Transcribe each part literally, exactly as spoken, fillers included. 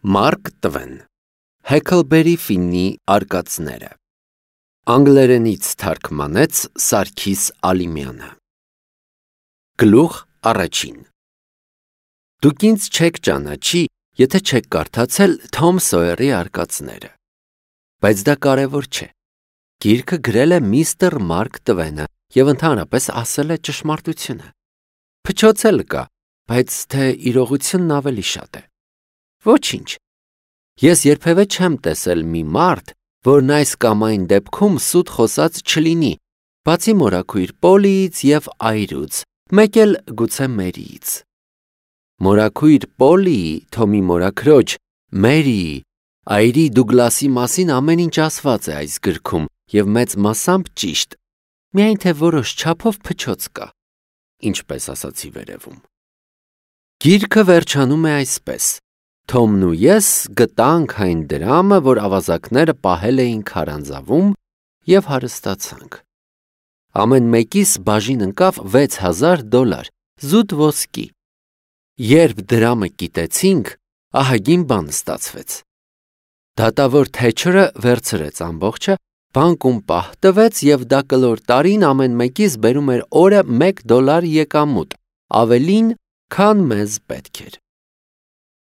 Մարկ Տվեն Հեքլբերի Ֆիննի արկածները Անգլերենից թարգմանեց Սարգիս Ալիմյանը Գլուխ առաջին Դուք ինձ չեք ճանաչի, եթե չեք կարդացել Թոմ Սոյերի արկածները, բայց դա կարևոր չէ։ Գիրքը գրել է միստր Մարկ Տվենը և ընդհանրապես ասել է ճշմարտությունը։ Փչոցել կա, բայց թե իրողությունն ավելի շատ է։ Ոչինչ։ Ես երբևէ չեմ տեսել մի մարդ, որն այս կամ այն դեպքում սուտ խոսած չլինի, բացի մորաքույր Պոլիից և այրուց, մեկ էլ գուցե Մերիից։ Մորաքույր Պոլիի, Թոմի մորաքրոջ, Մերիի, այրի Դուգլասի մասին ամեն ինչ ասված է այս գրքում և մեծ մասամբ ճիշտ, միայն թե որոշ չափով փչոց կա, ինչպես ասացի վերևում։ Գիրքը վերջանում է այսպես. Թոմն ու ես գտանք այն դրամը, որ ավազակները պահել էին քարանձավում և հարստացանք։ Ամեն մեկիս բաժին ընկավ վեց հազար դոլար, զուտ ոսկի։ Երբ դրամը կիտեցինք, ահագին բան ստացվեց։ Դատավոր Թեչերը վերցրեց ամբողջը, բանկում պահ տվեց և դա կլոր տարին ամեն մեկիս բերում էր օրը մեկ դոլար եկամուտ, ավելին, քան մեզ պետք էր։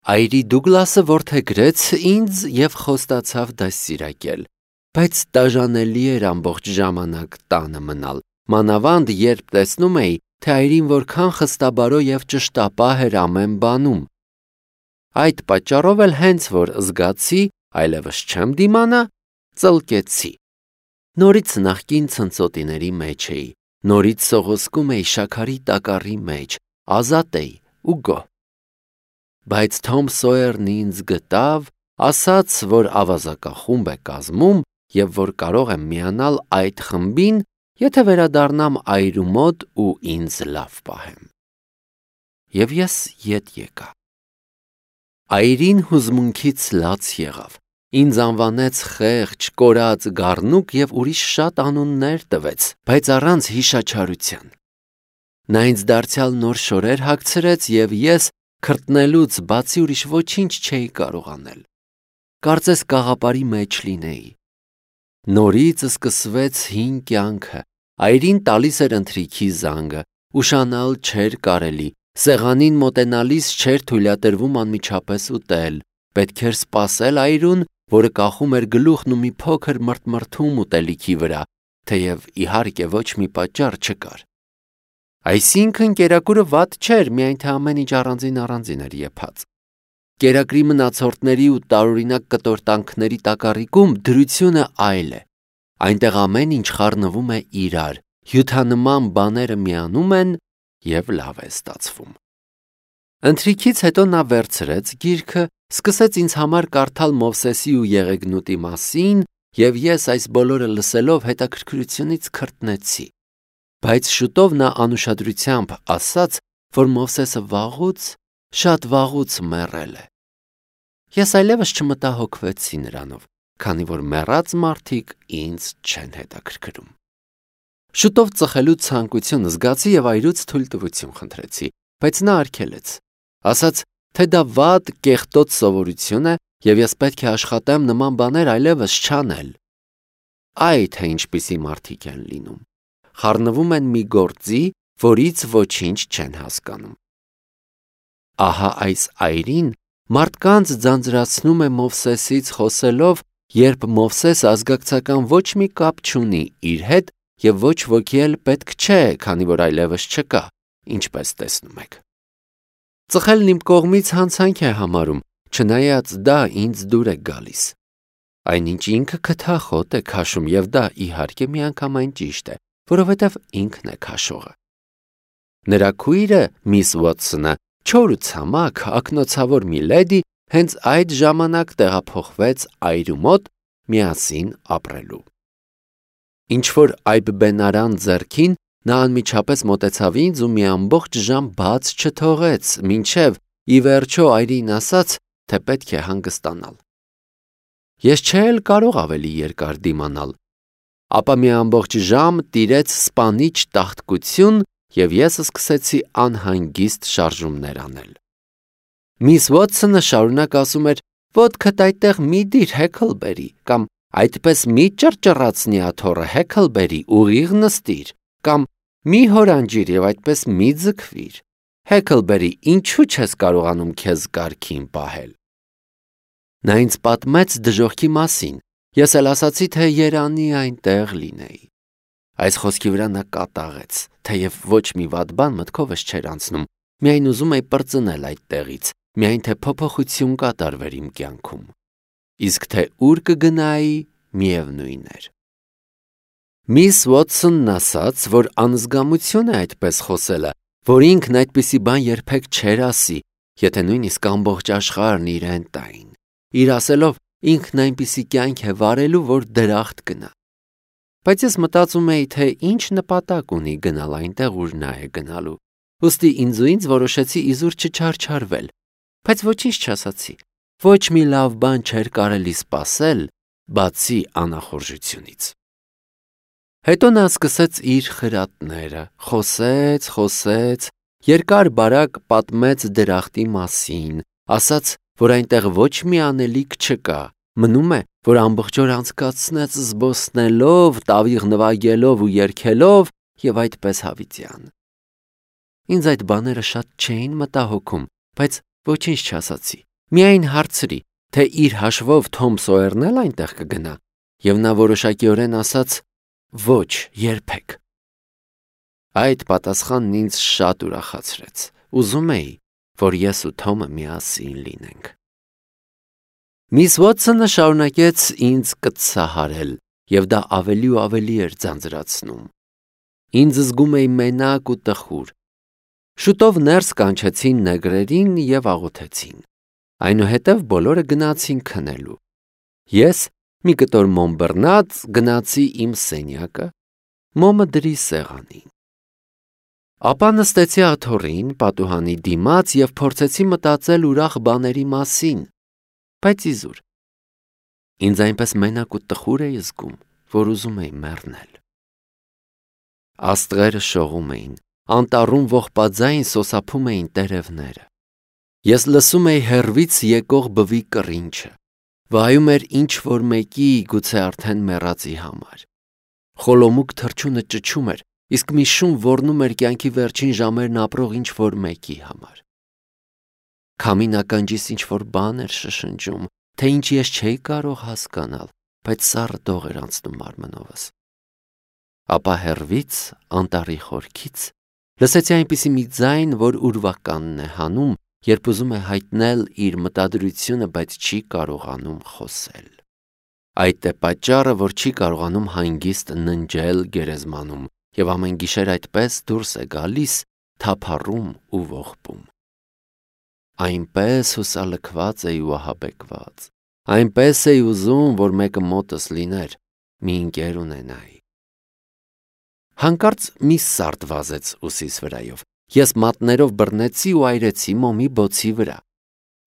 Այրի Դուգլասը որդեգրեց ինձ և խոստացավ դաստիարակել, բայց դաժանելի էր ամբողջ ժամանակ տանը մնալ, մանավանդ երբ տեսնում էի, թե այրին որքան խստաբարո և ճշտապահ էր ամեն բանում։ Այդ պատճառով էլ հենց որ զգացի, այլևս չեմ դիմանա, ծլկեցի։ Նորից նախկին ցնծոտիների մեջ էի, նորից սողոսկում էի շաքարի տակառի մեջ, ազատ էի ու գոհ։ Բայց Թոմ Սոյերն ինձ գտավ, ասաց, որ ավազակախումբ է կազմում և որ կարող եմ միանալ այդ խմբին, եթե վերադառնամ այրու մոտ ու ինձ լավ պահեմ։ Եվ ես ետ եկա։ Այրին հուզմունքից լաց եղավ, ինձ անվանեց խեղճ, կորած, գառնուկ և ուրիշ շատ անուններ տվեց, բայց առանց հիշաչարության։ Նա ինձ դարձյալ նոր շորեր հագցրեց և ես քրտնելուց բացի ուրիշ ոչինչ չէի կարող անել։ Կարծես կաղապարի մեջ լինեի։ Նորից սկսվեց հին կյանքը, այրին տալիս էր ընթրիքի զանգը, ուշանալ չէր կարելի, սեղանին մոտենալիս չէր թույլատրվում անմիջապես ուտել, պետք էր սպասել այրուն, որը կախում էր գլուխն ու մի փոքր մրթմրթում ուտելիքի վրա, թեև իհարկե ոչ մի պատճառ չկար։ Այսինքն կերակուրը վատ չէր, միայն թե ամեն ինչ առանձին-առանձին էր եփած։ Կերակրի մնացորդների ու տարօրինակ կտորտանքների տակառիկում դրությունը այլ է։ Այնտեղ ամեն ինչ խառնվում է իրար, հյութանման բաները միանում են և լավ է ստացվում։ Ընթրիքից հետո նա վերցրեց գիրքը, սկսեց ինձ համար կարդալ Մովսեսի ու Եղեգնուտի մասին, և ես այս բոլորը լսելով հետաքրքրությունից քրտնեցի։ Բայց շուտով նա անուշադրությամբ ասաց, որ Մովսեսը վաղուց, շատ վաղուց մեռել է։ Ես այլևս չմտահոգվեցի նրանով, քանի որ մեռած մարդիկ ինձ չեն հետաքրքրում։ Շուտով ծխելու ցանկություն զգացի և այրուց թույլտվություն խնդրեցի, բայց նա արգելեց, ասաց, թե դա վատ, կեղտոտ սովորություն է և ես պետք է աշխատեմ նման բաներ այլևս չանել։ Այ թե ինչպիսի մարդիկ են լինում։ Խառնվում են մի գործի, որից ոչինչ չեն հասկանում։ Ահա այս այրին մարդկանց ձանձրացնում է Մովսեսից խոսելով, երբ Մովսեսը ազգակցական ոչ մի կապ չունի իր հետ և ոչ ոքի էլ պետք չէ, քանի որ այլևս չկա, ինչպես տեսնում եք։ Ծխելն իմ կողմից հանցանք է համարում, չնայած դա ինձ դուր է գալիս։ Այնինչ ինքը քթախոտ է քաշում և դա իհարկե միանգամայն ճիշտ է, որովհետև ինքն է քաշողը։ Նրա քույրը, միս Ուոթսոնը, չոր ու ցամաք, ակնոցավոր մի լեդի, հենց այդ ժամանակ տեղափոխվեց այրու մոտ միասին ապրելու։ Ինչ-որ այբբենարան ձեռքին, նա անմիջապես մոտեցավ ինձ ու մի ամբողջ ժամ բաց չթողեց, մինչև ի վերջո այրին ասաց, թե պետք է հանգստանալ։ Ես չէ էլ կարող ավելի երկար դիմանալ, ապա մի ամբողջ ժամ տիրեց սպանիչ տաղտկություն և ես սկսեցի անհանգիստ շարժումներ անել։ Միս Ուոթսոնը շարունակ ասում էր, Ոտքդ այդտեղ մի դիր Հեքլբերի, կամ այդպես մի ճռճռացնի աթոռը Հեքլբերի, ուղիղ նստիր, կամ մի հորանջիր եւ այդպես մի ձգվիր։ Հեքլբերի, ինչու չես կարողանում քեզ կարգին պահել։ Նա ինձ պատմեց դժոխքի մասին, ես էլ ասացի, թե երանի այնտեղ լինեի։ Այս խոսքի վրա նա կատաղեց, թեև ոչ մի վատ բան մտքովս չէր անցնում, միայն ուզում էի պրծնել այդ տեղից, միայն թե փոփոխություն կատարվեր իմ կյանքում։ Իսկ թե ուր կգնայի, միևնույն էր։ Միս Ուոթսոնն ասաց, որ անզգամություն է այդպես խոսելը, որ ինքն այդպիսի բան երբեք չէր ասի, եթե նույնիսկ ամբողջ աշխարհն իրեն տային։ Իր ասելով, ինքն այնպիսի կյանք է վարելու, որ դրախտ գնա։ Բայց ես մտածում էի, թե ինչ նպատակ ունի գնալ այնտեղ, ուր նա է գնալու։ Ուստի ինձ ու ինձ որոշեցի իզուր չչարչարվել, բայց ոչինչ չասացի։ Ոչ մի լավ բան չէր կարելի սպասել, բացի անախորժությունից։ Հետո նա սկսեց իր խրատները, խոսեց, խոսեց, երկար բարակ պատմեց դրախտի մասին, ասաց, որ այնտեղ ոչ մի անելիք չկա, մնում է, որ ամբողջ օր անցկացնեց զբոսնելով, տավիղ նվագելով ու երգելով եւ այդպես հավիտյան։ Ինձ այդ բաները շատ չէին մտահոգում, բայց ոչինչ չասացի։ Միայն հարցրի, թե իր հաշվով Թոմ Սոյերն էլ այնտեղ կգնա, եւ նա որոշակիորեն ասաց. ոչ, երբեք։ Այդ պատասխանն ինձ շատ ուրախացրեց։ Ուզում էի, որ ես ու Թոմը միասին լինենք։ Միս Ուոթսոնը շարունակեց ինձ կծահարել, եւ դա ավելի ու ավելի էր ձանձրացնում։ Ինձ զգում էի մենակ ու տխուր։ Շուտով ներս կանչեցին նեգրերին եւ աղոթեցին։ Այնուհետև բոլորը գնացին քնելու։ Ես մի կտոր մոմբռնած գնացի իմ սենյակը, մոմը դրի սեղանին։ Ապա նստեցի աթոռին, պատուհանի դիմաց եւ փորձեցի մտածել ուրախ բաների մասին, բայց իզուր։ Ինձ այնպես մենակ ու տխուր էի զգում, որ ուզում էի մեռնել։ Աստղերը շողում էին, անտառում ողբաձայն սոսափում էին տերևները։ Ես լսում էի հեռվից եկող բվի կռինչը, վայում էր ինչ-որ մեկի, գուցե արդեն մեռածի համար։ Խոլոմուկ թռչունը ճչում էր, իսկ մի շուն ոռնում էր կյանքի վերջին ժամերն ապրող ինչ-որ մեկի համար։ Քամին ականջիս ինչ-որ բան էր շշնջում, թե ինչ ես չէի կարող հասկանալ, բայց սառը դող էր անցնում մարմնովս։ Ապա հեռվից, անտառի խորքից, լսեցի այնպիսի մի ձայն, որ ուրվականն է հանում, երբ ուզում է հայտնել իր մտադրությունը, բայց չի կարողանում խոսել։ Այդ է պատճառը, որ չի կարողանում հանգիստ ննջել գերեզմանում, եւ ամեն գիշեր այդպես դուրս է գալիս, թափառում ու ողբում։ Այնպես հուսալքված էի ու ահաբեկված, այնպես էի ուզում, որ մեկը մոտս լիներ, մի ընկեր ունենայի։ Հանկարծ մի սարդ վազեց ուսիս վրայով։ Ես մատներով բռնեցի ու այրեցի մոմի բոցի վրա։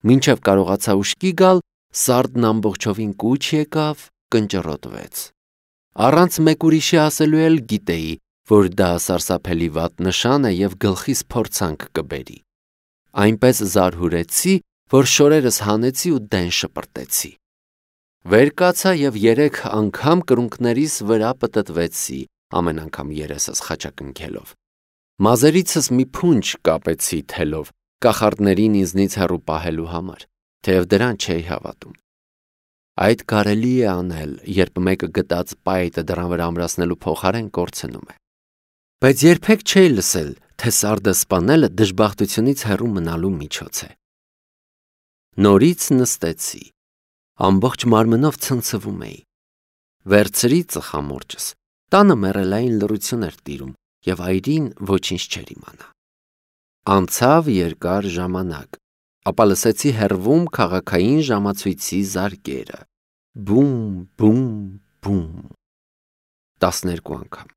Մինչև կարողացա ուշքի գալ, սարդն ամբողջովին կուչ եկավ, կնճռոտվեց։ Առանց մեկ ուրիշի ասելու էլ գիտեի, որ դա սարսափելի վատ նշան է եւ գլխիս փորձանք կբերի։ Այնպես զարհուրեցի, որ շորերս հանեցի ու դեն շպրտեցի։ Վեր կացա եւ երեք անգամ կրունկներիս վրա պտտվեցի, ամեն անգամ երեսս խաչակնքելով։ Մազերիցս մի փունջ կապեցի թելով, կախարդներին ինձնից հեռու պահելու համար, թեև դրան չէի հավատում։ Այդ կարելի է անել, երբ մեկը գտած պայտը դրան վրա ամրացնելու փոխարեն կորցնում է։ Բայց երբեք չէի լսել, թե սարդը սպանելը դժբախտությունից հեռու մնալու միջոց է։ Նորից նստեցի, ամբողջ մարմնով ցնցվում էի։ Վերցրի ծխամորճս, տանը մեռելային լռություն էր տիրում, եւ այրին ոչինչ չէր իմանա։ Անցավ երկար ժամանակ, ապա լսեցի հեռվում քաղաքային ժամացույցի զարկերը. բում, բում, բում, տասներկու անգամ։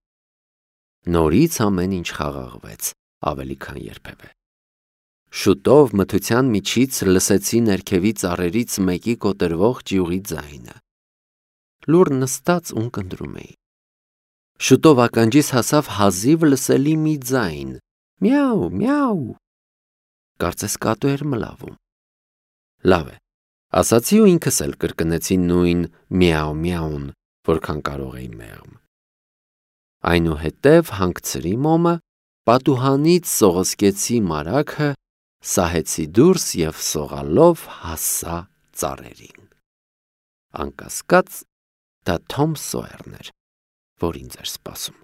Նորից ամեն ինչ խաղաղվեց, ավելի քան երբևէ։ Շուտով մթության միջից լսեցի ներքևի ծառերից մեկի կոտրվող ճյուղի ձայնը։ Լուռ նստած ունկնդրում էի։ Շուտով ականջիս հասավ հազիվ լսելի մի ձայն. միաու, միաու։ Կարծես կատու էր մլավում։ Լավ է, Ասացի ու ինքս էլ կրկնեցի նույն միաու միաուն, որքան կարող էի մեղմ։ Այնուհետև հանգցրի մոմը, պատուհանից սողոսկեցի մարագը, սահեցի դուրս և սողալով հասա ծառերին։ Անկասկած դա Թոմ Սոյերն էր, որ ինձ էր սպասում։